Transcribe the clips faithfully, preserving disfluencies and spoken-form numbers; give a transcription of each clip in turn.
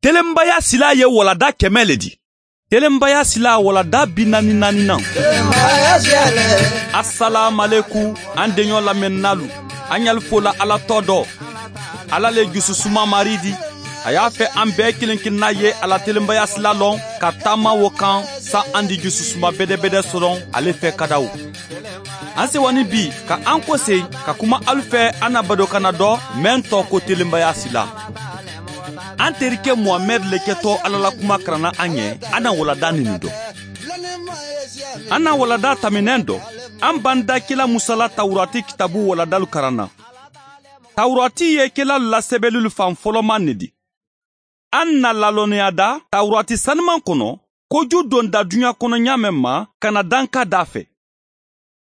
Telenbaya sila ye walada kɛmɛ le di. Telenbaya sila walada bi naani naani na. Assalamu an denɲɔ lamɛnnalu. An y'al fola Ala tɔ dɔ. Ala le jususuma mari di. A y'a fɛ an bɛɛ kelen kelenna ye ala telenbaya sila lɔn ka taama wo kan sa an di jususuma bɛdɛbɛdɛ sɔrɔ ale fɛ kadaw. An sewani bi ka an kɔse ka kuma alu fɛ an na badokana dɔ mɛn tɔ ko telenbaya sila. An terikɛ Muhamɛd le kɛtɔ Ala la kuma karanna an ɲɛ an na walada nin dɔ. An na walada taminɛn dɔ an b'an da kila Musala Tawurati kitabu waladalu karanna. Tawurati ye kila lasɛbɛlilu fan fɔlɔman ne di. An na lalɔnniya da Tawurati sanuman kɔnɔ koju donda duɲa kɔnɔ ɲa mɛn ma ka na danka da fɛ.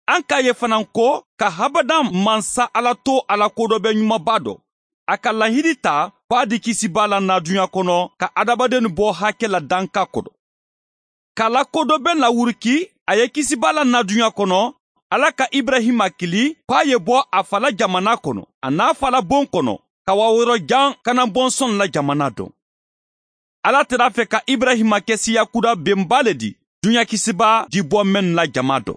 An k'a ye fana ko ka habadan mansa Ala to Ala ko dɔ bɛ ɲumanba dɔ. A ka lahidi ta k'a di kisiba la na duɲa kɔnɔ ka adamaden bɔ hakɛ la danka kɔrɔ. K'a la ko dɔ bɛ lawuruki a ye kisiba la na duɲa kɔnɔ Ala ka Ibrahima kili k'a ye bɔ a fa la jamana kɔnɔ a n'a fa la bon kɔnɔ ka wa yɔrɔ jan kana bɔnsɔn la jamana dɔn. Ala tɛra fɛ ka Ibrahima kɛ siyakuda benba le di duɲa kisiba di bɔ mɛn la jama dɔ.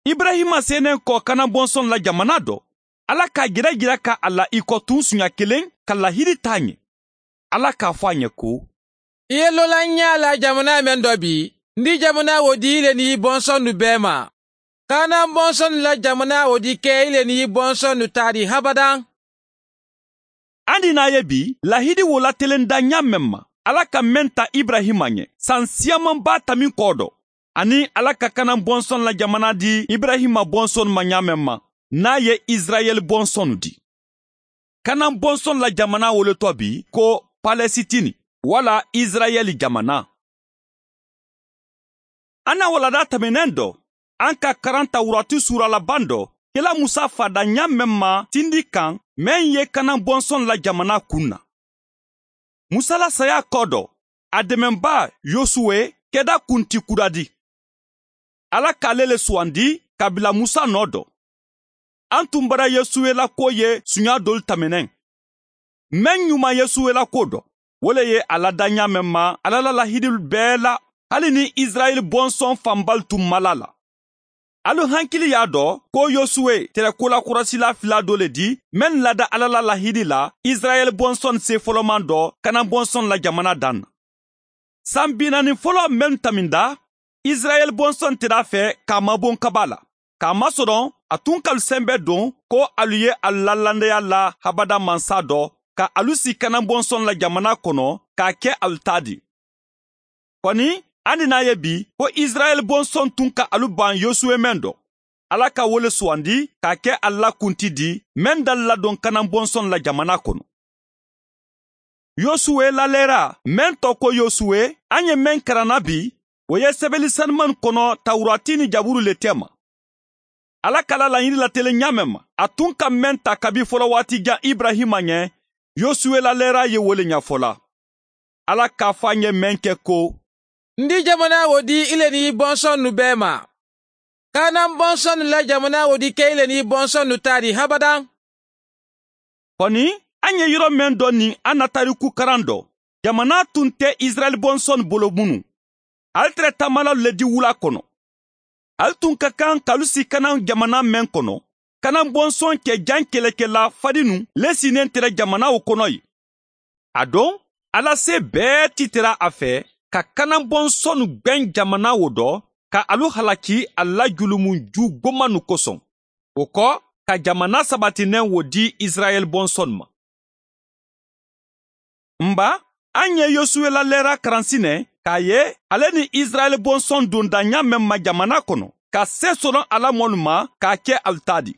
Ibrahima senen kɔ kana bɔnsɔn la jamana dɔ. Ala k'a jira jira ka a la i kɔ tun sunya kelen ka lahidi t'a ɲɛ. Ala k'a fɔ a ɲɛ ko i ye lola ɲɛ la jamana mɛn dɔ bi n di jamana o di ile ni bɔnsɔn nu bɛɛ ma. Kana bɔnsɔn la jamana o di kɛ ile ni bɔnsɔn nu ta di habadan. An di n'a ye bi lahidi wo latelen da ɲa mɛn ma Ala ka mɛn ta Ibrahima ɲɛ san siyamanba ta min kɔ dɔ ani Ala ka kana bɔnsɔn la jamana di Ibrahima bɔnsɔn ma ɲa mɛn ma n'a ye Israɛl bɔnsɔn di. Kana bɔnsɔn la jamana wolotɔ bi ko Palɛsitini wala Israɛl jamana. An na walada tɛmɛnen dɔ an ka karan Tawurati sura laban dɔ kela Musa fada ɲa mɛn ma tindi kan mɛn ye kana bɔnsɔn la jamana kun na. Musa la saya kɔ dɔ a dɛmɛba Yosuwe kɛda kunti kura di. Ala k'ale le suwandi ka bila Musa nɔ dɔ. An tun bara Yosuwe la ko ye sunya dolu tɛmɛnɛn. Mɛn ɲuman Yosuwe la ko dɔ o le ye a lada ɲa mɛn ma Ala la lahidi bɛɛ la hali ni Israɛl bɔnsɔn fanbali tun ma la la. Alu hankili y'a dɔn ko Yosuwe tɛrɛ kolakɔrɔsila fila dɔ le di mɛn lada Ala la lahidi la Israɛl bɔnsɔn se fɔlɔman dɔ kana bɔnsɔn la jamana dan na. San bi naani fɔlɔ mɛn taminda Israɛl bɔnsɔn tɛr'a fɛ k'a mabon kaba la. K'a masɔrɔ a tun kalu sɛnbɛ don ko alu ye a lalandaya la habada mansa dɔ ka alu si kana bɔnsɔn la jamana kɔnɔ k'a kɛ alu ta di. Kɔni an di n'a ye bi ko Israɛl bɔnsɔn tun ka alu ban Yosuwe mɛn dɔ. Ala ka wele suwandi k'a kɛ a la kunti di mɛn da ladon kana bɔnsɔn la jamana kɔnɔ. Yosuwe lalɛra mɛn tɔ ko Yosuwe an ye mɛn karanna bi o ye sɛbɛnni sanuman kɔnɔ Tawurati ni Jaburu le tɛ ma. Ala kala laɲini latelen ɲa mɛn ma a tun ka mɛn ta kabi fɔlɔ waati jan Ibrahima ɲɛ Yosuwe lalɛra ye wele ɲɛfɔla. Ala k'a fɔ an ye mɛn kɛ ko n di jamana o di ile ni bɔnsɔn nu bɛɛ ma. Kana bɔnsɔn la jamana o di kɛ ile ni bɔnsɔn nu ta di habadan. Kɔni an ye yɔrɔ mɛn dɔ ni an na tariku karan dɔ jamana tun tɛ Israɛl bɔnsɔn bolo minnu. Ale tɛrɛ taamala le di wula kɔnɔ. Ale tun ka kan k'alu si kana jamana mɛn kɔnɔ kana bɔnsɔn kɛ jan kɛlɛkɛla fadinu le sinnen tɛrɛ jamana o kɔnɔ ye. A don Ala se bɛɛ ti tɛra a fɛ ka kana bɔnsɔn gbɛn jamana o dɔ ka alu halaki a la julumun ju gomanu kosɔn. O kɔ ka jamana sabatinen wo di Israɛl bɔnsɔn ma. Nba an ye Yosuwe la lɛra karansinɛ k'a ye ale ni Israɛl bɔnsɔn donda ɲa mɛn ma jamana kɔnɔ ka se sɔrɔ Ala mɔnu ma k'a kɛ alu ta di.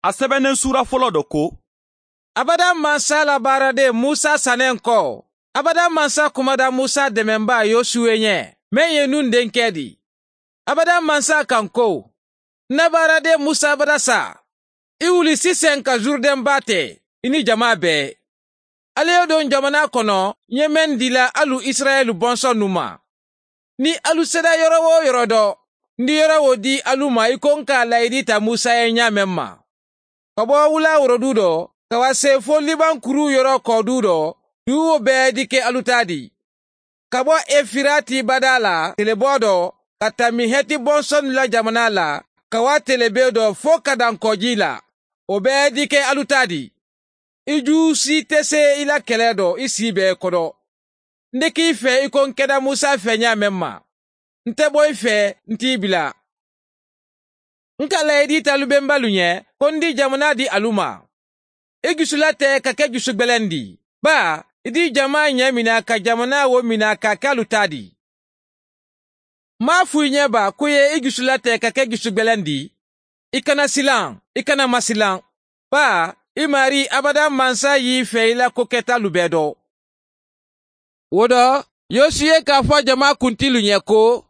A sɛbɛnnen sura fɔlɔ dɔ ko Abada mansa la baaraden Musa sanen kɔ. Abada mansa kumada Musa dɛmɛba Yosuwe ɲɛ mɛn ye nun denkɛ di. Abada mansa kan ko na baaraden Musa bada sa i wuli sisan ka Zurdɛn ba tɛ i ni jama bɛɛ. Ale ye don jamana kɔnɔ n ye mɛn dila alu Israɛl bɔnsɔn nu ma. Ni alu sera yɔrɔ o yɔrɔ dɔ n di yɔrɔ o di alu ma i ko n k'a layidi ta Musa ye ɲa mɛn ma. Ka bɔ wula worodu dɔ ka wa se fo Liban kuru yɔrɔ kɔdu dɔ Dugu bɛɛ di kɛ alu ta di. Ka bɔ Efirati bada la telebɔ dɔ ka tami Hɛti bɔnsɔn la jamana la ka wa telebe dɔ fo ka dan kɔji la. O bɛɛ di kɛ alu ta di. I ju si tɛ se i la kɛlɛ dɔ i si bɛɛ kɔrɔ. N de k'i fɛ i ko n kɛra Musa fɛ ɲa mɛn ma. N tɛ bɔ i fɛ n t'i bila. N ka layidu t'alu bɛnbalu ɲɛ ko n di jamana di alu ma. I jusula tɛ ka kɛ jusu gbɛlɛn di. Ba i di jama ɲɛ mina ka jamana wo mina ka kɛ alu ta di. M'a f'u ɲɛ ba ko ye i jusula tɛ ka kɛ jusu gbɛlɛn di. I kana silan, i kana masilan. Ba i mari abada mansa y'i fɛ i la ko kɛtalu bɛɛ dɔ. O dɔ, Yosuye k'a fɔ jama kuntilu ɲɛ ko,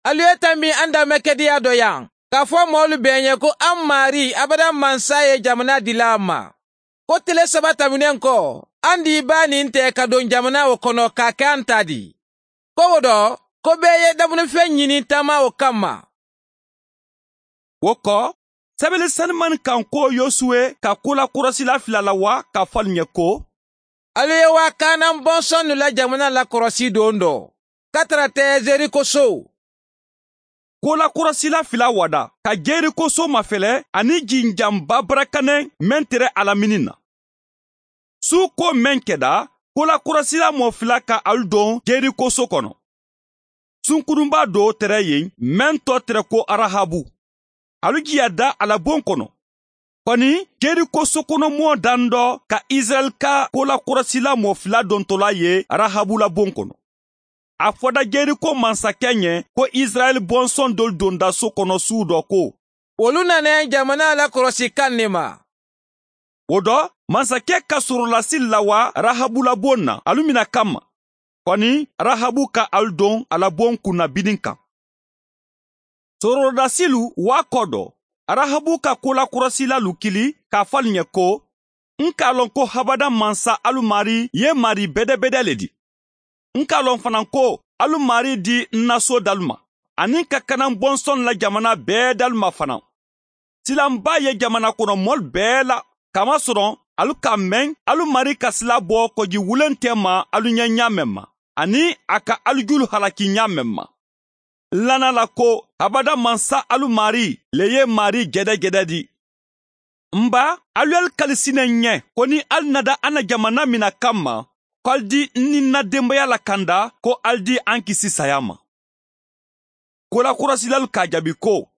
alu ye tanbi an danmɛkɛdiya dɔ yan, k'a fɔ mɔɔlu bɛɛ ɲɛ ko an mari abada mansa ye jamana dila an ma. Ko tile saba tɛmɛnen kɔ, an di ba nin tɛ ka don jamana o kɔnɔ k'a kɛ an ta di. Ko o dɔ, ko bɛɛ ye damunifɛn ɲini taama o kama. O kɔ, sɛbɛnni sanimani kan ko Yosuwe ka ko lakɔlɔsila fila la wa k'a fɔ alu ɲɛ ko, alu ye wa Kanan bɔnsɔn la jamana lakɔlɔsi don dɔ, ka tara tɛ Zeriko so. Ko lakɔlɔsila fila wada ka Jeriko so mafɛlɛ ani jinjanba barakanɛ mɛn tɛrɛ alamini na. Su ko mɛn kɛda, ko lakɔlɔsila mɔ fila ka alu don Jeriko so kɔnɔ. Sunkurunba dɔ tɛrɛ yen mɛn tɔ tɛrɛ ko Arahabu. Alu jiya da a la bon kɔnɔ. Kɔni Jeriko so kɔnɔ mɔɔ dan dɔ ka Israɛl ka ko lakɔlɔsila mɔ fila dontɔla ye Arahabu la bon kɔnɔ. A fɔda Jeriko mansakɛ ɲɛ ko Israɛl bɔnsɔn dɔ donda so kɔnɔ su dɔ ko, olu nana jamana lakɔlɔsi kan ne ma. O dɔ, mansakɛ ka sɔrɔlasi lawa Rahabu la bon na alu mina kama. Kɔni Rahabu ka alu don a la bon kunna binin kan. Sɔrɔdasilu waa kɔ dɔ, Rahabu ka ko lakɔlɔsila lukili k'a fɔ alu ɲɛ ko, n k'a lɔn ko habada mansa alu mari ye mari bɛdɛbɛdɛ le di. N k'a lɔn fana ko alu mari di n na so dalu ma, ani ka Kanan bɔnsɔn la jamana bɛɛ dalu ma fana. Silanba ye jamana kɔnɔ mɔli bɛɛ la, kamasɔrɔ alu ka mɛn alu mari ka sila bɔ kɔji wulen tɛ ma alu ɲɛ ɲa mɛn ma, ani a ka alu julu halaki ɲa mɛn ma. Lana la ko abada mansa alu mari le ye mari gɛdɛgɛdɛ di. Nba alu y'alu kalisinɛ ɲɛ ko ni alu nada an na jamana mina kama, ko alu di n ni n na denbaya lakanda, ko alu di an kisi saya ma. Kolakɔlɔsilalu k'a jaabi ko,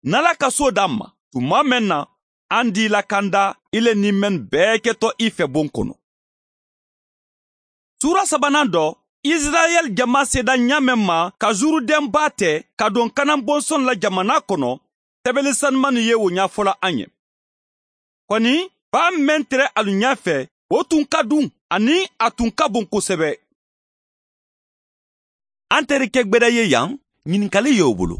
n'Ala ka so d'an ma, tuma mɛn na, an di lakanda i le ni mɛn bɛɛ kɛtɔ i fɛ bon kɔnɔ. Sura sabanan dɔ, Israɛl jama seda ɲa mɛn ma ka Zurudɛnba tɛ ka don Kanan bɔnsɔn la jamana kɔnɔ, sɛbɛnni sanumani ye o ɲɛfɔla an ye. Kɔni, ba mɛn tɛrɛ alu ɲɛ fɛ, o tun ka dun ani a tun ka bon kosɛbɛ. An terikɛ gbɛdɛ ye yan, ɲininkali y'o bolo.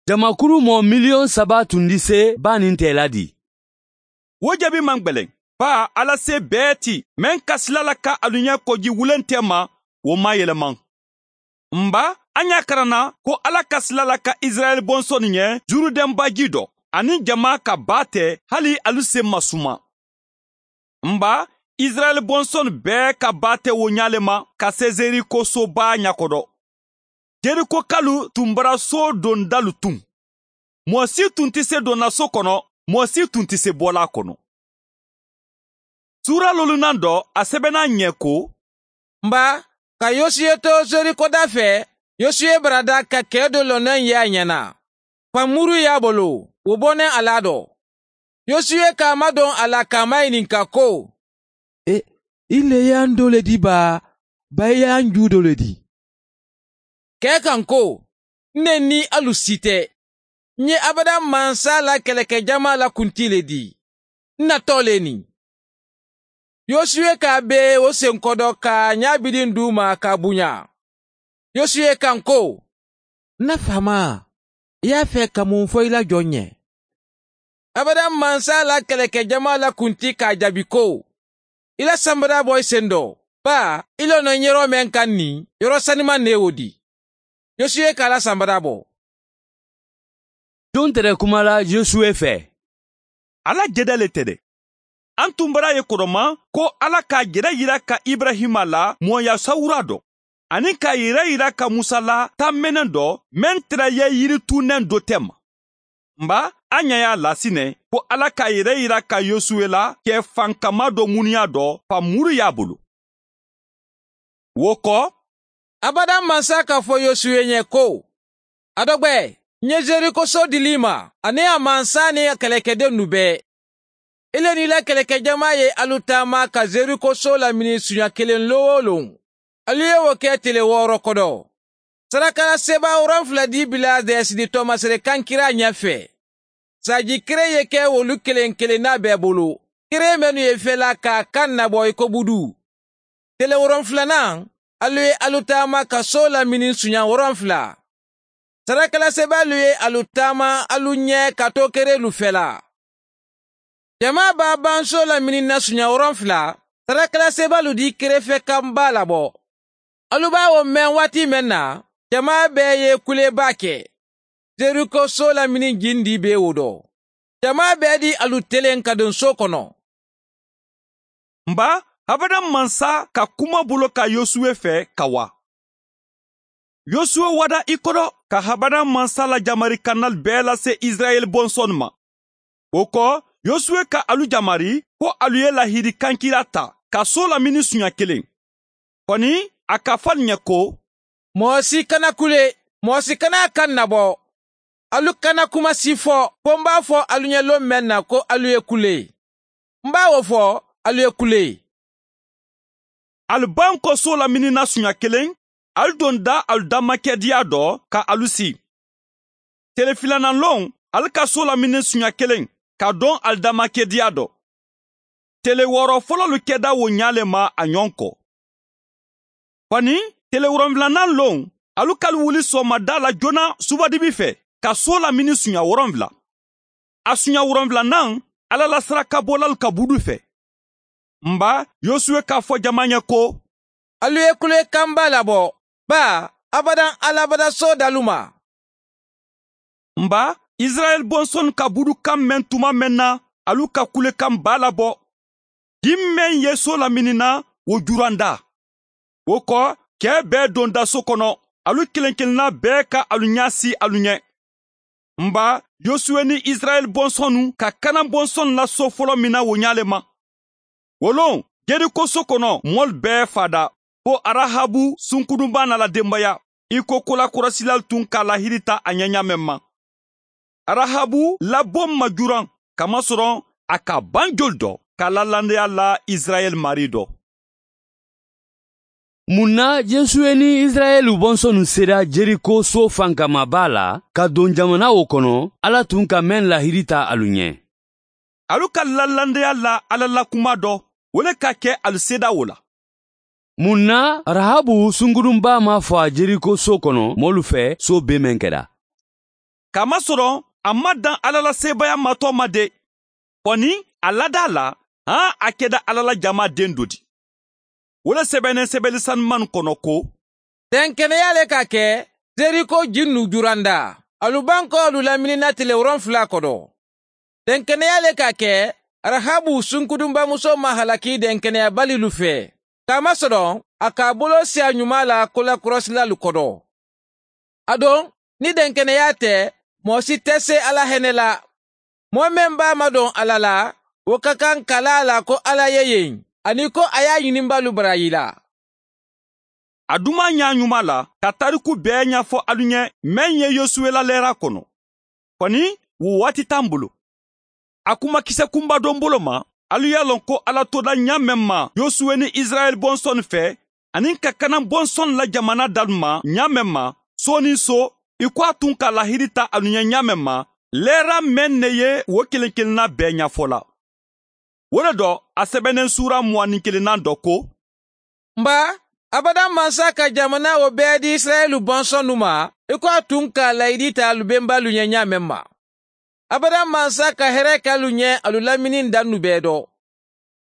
Jamakulu mɔ miliyɔn saba tun di se ba nin tɛ la di. O jaabi man gbɛlɛn. Ba Ala se bɛɛ ti, mɛn ka sila la ka alu ɲɛ kɔji wulen tɛ ma, o ma yɛlɛma. Nba, an y'a karanna ko Ala ka sila la ka Israɛl bɔnsɔn ɲɛ Zurudɛnbaji dɔ, ani jama ka ba tɛ hali alu se ma suma. Nba, Israɛl bɔnsɔn bɛɛ ka ba tɛ o ɲale ma ka se Zeriko soba ɲakɔdɔ. Jeriko kalu tun bara so dondalu tun. Mɔɔ si tun tɛ se donna so kɔnɔ, mɔɔ si tun tɛ se bɔla kɔnɔ. Sura lolunan dɔ, a sɛbɛnna ɲɛ ko, nba, ka Yosuye to Zeriko da fɛ, Yosuye barada ka kɛ dɔ lɔnnen ye a ɲɛna. Famuru y'a bolo, o bɔnnen a la dɔ. Yosuye k'a madɔn a la k'a maɲininka ko, E, i le y'an dɔ le di ba, ba i y'an ju dɔ le di. Kɛ kan ko, ne ni alu si tɛ. N ye abada mansa la kɛlɛkɛjama la kunti le di. N natɔ le nin. Yosuye k'a be o senkɔdɔ ka ɲabidin d'u ma k'a bonya. Yosuye kan ko, na faama, i y'a fɛ ka mun fɔ i la jɔn ɲɛ? Abada mansa la kɛlɛkɛjama la kunti k'a jaabi ko, i la sanbara bɔ i sen dɔ, ba i lɔnà yɔrɔ mɛn kan nin, yɔrɔ saniman ne y'o di. Yosuye k'a la sanbara bɔ. Don tɛrɛ kuma la Yosuye fɛ. Ala jɛdɛ le tɛ dɛ. An tun bara ye kɔrɔma ko Ala k'a yɛrɛ yira ka Ibrahima la mɔya sawura dɔ, ani k'a yɛrɛ yira ka Musa la tamɛnɛ dɔ mɛn tɛrɛ ye yiritunnɛ dɔ tɛ ma. Nba an ɲɛ y'a lasinɛ ko Ala k'a yɛrɛ yira ka Yosuwe la kɛ fankama dɔ muniya dɔ famuru y'a bolo. Wo kɔ, Abada mansa k'a fɔ Yosuwe ɲɛ ko, a dɔgbɛ, n ye Jeriko so dili ma, ani a mansa ni a kɛlɛkɛden nu bɛɛ. Ile n'i la kɛlɛkɛjama ye alu taama ka Jeriko so lamini suɲa kelen lon o lon. Alu ye o kɛ tele wɔɔrɔ kɔnɔ. Sarakalasebaa wolonfila di bila dɛsidi tɔmasere kankira ɲɛfɛ. Saji kere ye kɛ olu kelen kelenna bɛɛ bolo. Kere minnu ye fɛla k'a kan nabɔ i ko budu. Tele wolonfilanan, alu ye alu taama ka so lamini suɲa wolonfila. Sarakalasebaalu ye alu taama alu ɲɛ ka to kerelu fɛla. Jama b'a ban so lamini na suɲa wolonfila, sarakalasebaalu di kerefɛ kanba labɔ. Alu b'a o mɛn waati mɛn na, jama bɛɛ ye kuleba kɛ. Jeriko so lamini jindi bɛ o dɔ. Jama bɛɛ di alu telen ka don so kɔnɔ. Nba, abada mansa ka kuma bolo ka Yosuwe fɛ ka wa. Yosuwe wada i kɔrɔ ka habada mansa la jamari kanal bɛɛ lase Israɛl bɔnsɔn ma. O kɔ, Yosuwe ka alu jamari ko alu ye lahidi kankira ta ka so lamini suɲa kelen. Kɔni, a ka fɔ ɲɛ ko, mɔgɔ si kana kule, mɔgɔ si kana kan nabɔ. Alu kana kuma si fɔ, ko n b'a fɔ alu ɲɛ lon mɛn na ko alu ye kule. N b'a o fɔ, alu ye kule. Alu ban kɔ so lamini na suɲa kelen, alu don da alu damakɛdiya dɔ ka alu si. Tele filanan lon, alu ka so lamini suɲa kelen, ka don alu damakɛdiya dɔ. Tele wɔɔrɔ fɔlɔlu kɛda wo ɲale ma a ɲɔgɔn kɔ. Kɔni, tele wolonfilanan lon, alu kalu wuli sɔgɔmada la joona subadibi fɛ, ka so lamini suɲa wolonfila. A suɲa wolonfilanan, Ala la saraka bɔlalu ka budu fɛ. Nba, Yosuwe k'a fɔ jama ɲɛ ko, alu ye kule kanba labɔ, ba abadan alabada so dalu ma. Nba, Israɛl bɔnsɔn ka budu kan mɛn tuma mɛn na, alu ka kule kan ba labɔ. Di mɛn ye so lamini na, o juranda. O kɔ, kɛ bɛɛ donda so kɔnɔ, alu kelen kelenna bɛɛ ka alu ɲɛ si alu ɲɛ. Nba, Yosuwe ni Israɛl bɔnsɔnnu ka Kanan bɔnsɔn la so fɔlɔ min na o ɲale ma. Wolon, Jeriko so kɔnɔ, mɔli bɛɛ fada, ko Arahabu sunkudunba n'a la denbaya, i ko kolakɔrɔsilaw tun ka lahiri ta a ɲɛ ɲa ma. Arahabu labɔ majuran, kamasɔrɔ a ka ban joli dɔ, k'a lalandaya la Israɛl mari dɔ. Mun na Josué ni Israɛl bɔnsɔnnu sera Jeriko so fankamaba la ka don jamana o kɔnɔ, Ala tun ka mɛn lahiri ta alu ɲɛ. Alu ka lalandaya la Ala la kuma dɔ, o le ka kɛ alu seda o la. Mun na Rahabu sungurunba ma fɔ a Jeriko so kɔnɔ mɔlu fɛ so bɛɛ mɛn kɛra. Kamasɔrɔ a ma dan Ala la sebaaya matɔ ma de. Kɔni a lada la, han a kɛda Ala la jama den dɔ di. O le sɛbɛnnen sɛbɛnni sanuman kɔnɔ ko, dɛnkɛnɛya le ka kɛ Jeriko ji nu juranda, alu ban kɔ alu laminina tile wolonfila kɔnɔ. Dɛnkɛnɛya le ka kɛ Rahabu sunkudunbamuso ma halaki dɛnkɛnɛyabalilu fɛ. Kamasɔrɔ a k'a bolo siya ɲuman la kolakɔrɔsilalu kɔrɔ. A don, ni dɛnkɛnɛya tɛ, mɔgɔ si tɛ se Ala hɛnɛ la. Mɔgɔ min b'a madɔn Ala la, o ka kan kala la ko Ala ye yen, ani ko a y'a ɲininbalu barayi la. A duman ɲa ɲuman la ka tariku bɛɛ ɲɛfɔ alu ɲɛ mɛn ye Yosuwe la lɛra kɔnɔ. Kɔni, wo waati t'an bolo. A kuma kisɛ kunba dɔ bolo ma, alu y'a lɔn ko Ala toda ɲa mɛn ma Yosuwe ni Israɛl bɔnsɔn fɛ, ani ka Kanan bɔnsɔn la jamana dalu ma ɲa mɛn ma, so ni so, i ko a tun ka lahiri ta alu ɲɛ ɲa mɛn ma, lɛra mɛn ne ye wo kelen kelenna bɛɛ ɲɛfɔ la. O le dɔ, a sɛbɛnnen sura mugan ni kelennan dɔ ko, nba, abada mansa ka jamana o bɛɛ di Israɛlu bɔnsɔnnu ma, i ko a tun ka layidi ta alu bɛnbalu ɲɛ ɲa mɛn ma. Abada mansa ka hɛrɛ k'alu ɲɛ alu lamini dannu bɛɛ dɔ.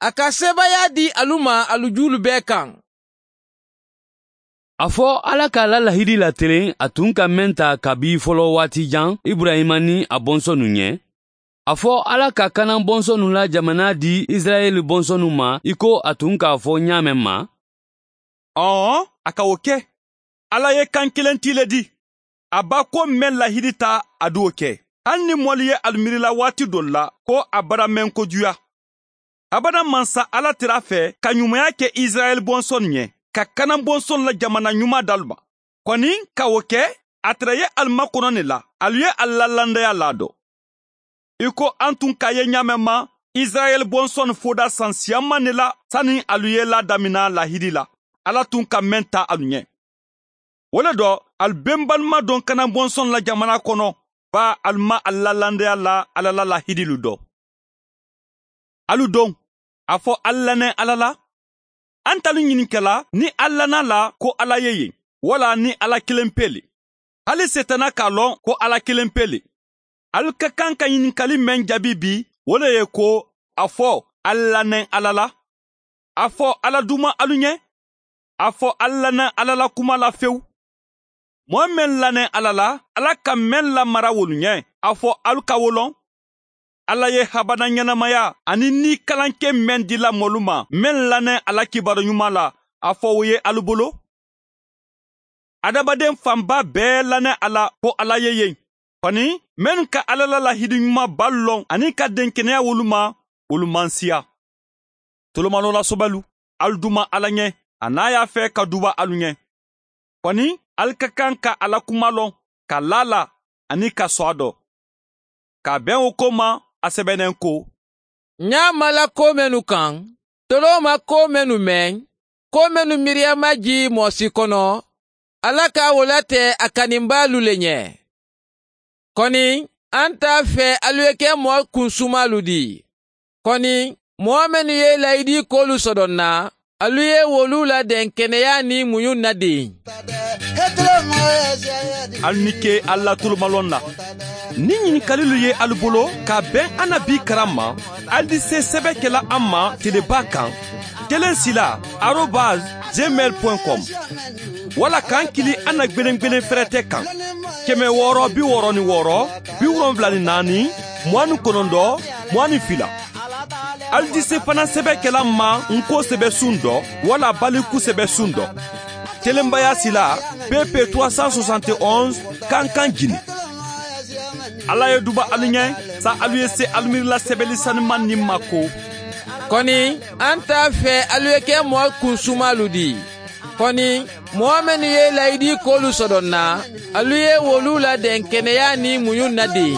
A ka sebaaya di alu ma alu julu bɛɛ kan. A fɔ Ala k'a la lahidi latelen a tun ka mɛn ta kabi fɔlɔ waati jan Ibrahima ni a bɔnsɔnnu ɲɛ. A fɔ Ala ka Kanan bɔnsɔnnu la jamana di Israɛl bɔnsɔnnu ma i ko a tun k'a fɔ ɲa mɛn ma? Ɔn, a ka o kɛ. Ala ye kan kelen ti le di. A b'a ko mɛn lahidi ta a d'o kɛ. Hali ni mɔli ye alu miirila waati dɔ la ko a bara mɛn kojuya. Abada mansa Ala tɛr'a fɛ ka ɲumanya kɛ Israɛl bɔnsɔn ɲɛ, ka Kanan bɔnsɔn la jamana ɲuman d'alu ma. Kɔni ka o kɛ, a tɛrɛ ye alu makɔnɔ ne la, alu ye alu la landaya ladɔ. I ko an tun k'a ye ɲa mɛn ma, Israɛl bɔnsɔn foda san siyaman ne la sani alu ye ladamina lahidi la. Ala tun ka mɛn ta alu ɲɛ. O le dɔ, alu benbalima don Kanan bɔnsɔn la jamana kɔnɔ, ba alu ma alu la landaya la Ala la lahidilu dɔ. Alu don, a fɔ alu lanɛ Ala la. An t'alu ɲininkala ni alu lana la ko Ala ye yen, wala ni Ala kelen pe le. Hali Setana k'a lɔn ko Ala kelen pe le. Alu ka kan ka ɲininkali mɛn jaabi bi, o le ye ko a fɔ alu lanɛ Ala la. A fɔ Ala duma alu ɲɛ. A fɔ alu lanɛ Ala la kuma la fewu. Mɔgɔ mɛn lanɛ Ala la, Ala ka mɛn lamara wolu ɲɛ, a fɔ alu ka wo lɔn. Ala ye habada ɲɛnamaya ani ni kalankɛ mɛn dila mɔlu ma, mɛn lanɛ Ala kibaru ɲuman la, a fɔ o ye alu bolo. Adamaden fanba bɛɛ lanɛ a la ko Ala ye yen. Kɔni, mɛnnu ka Ala la lahidi ɲuman ba lɔn ani ka denkɛnɛya wolu ma, olu man siya. Tolomano la sobalu, alu duma Ala ɲɛ, a n'a y'a fɛ ka duba alu ɲɛ. Kɔni, alu ka kan ka Ala kuma lɔn, ka la la ani ka sɔn a dɔ. Ka bɛn o ko ma, a sɛbɛnnen ko. Ɲa mala ko mɛnnu kan, tolo ma ko mɛnnu mɛn, ko mɛnnu miiriya ma ji mɔɔ si kɔnɔ, Ala ka o latɛ a kaninbaalu le ɲɛ. Kɔni, an t'a fɛ alu ye kɛ mɔɔ kunsumalu di. Kɔni, mɔɔ minnu ye layidi kolu sɔdɔ na, alu ye wolu ladɛn kɛnɛya ni muɲu na den. Alu ni ke alu la tolomalɔn na. Ni ɲininkalilu ye alu bolo ka bɛn an na bi karan ma, alu di se sɛbɛ kɛla an ma teleba kan kelen sila arobase gmail point com wala k'an kili an na gwelen fɛrɛtɛ kan kɛmɛ wɔɔrɔ bi wɔɔrɔ ni wɔɔrɔ bi wolonfila ni naani mugan ni kɔnɔntɔn mugan ni fila. Alu di se fana sɛbɛ kɛla ma nko sɛbɛ sun dɔ wala baliku sɛbɛ sun dɔ. Telenbaya sila P P trois cent soixante et onze Kankan Jini. Ala ye duba alu ɲɛ sa alu ye se alu miirila sɛbɛli sanuman nin ma ko. Kɔni, an t'a fɛ alu ye kɛ mɔɔ kunsumalu di. Kɔni, mɔɔ minnu ye layidi kolu sɔdɔ na, alu ye wolu ladɛn kɛnɛya ni muɲu na den.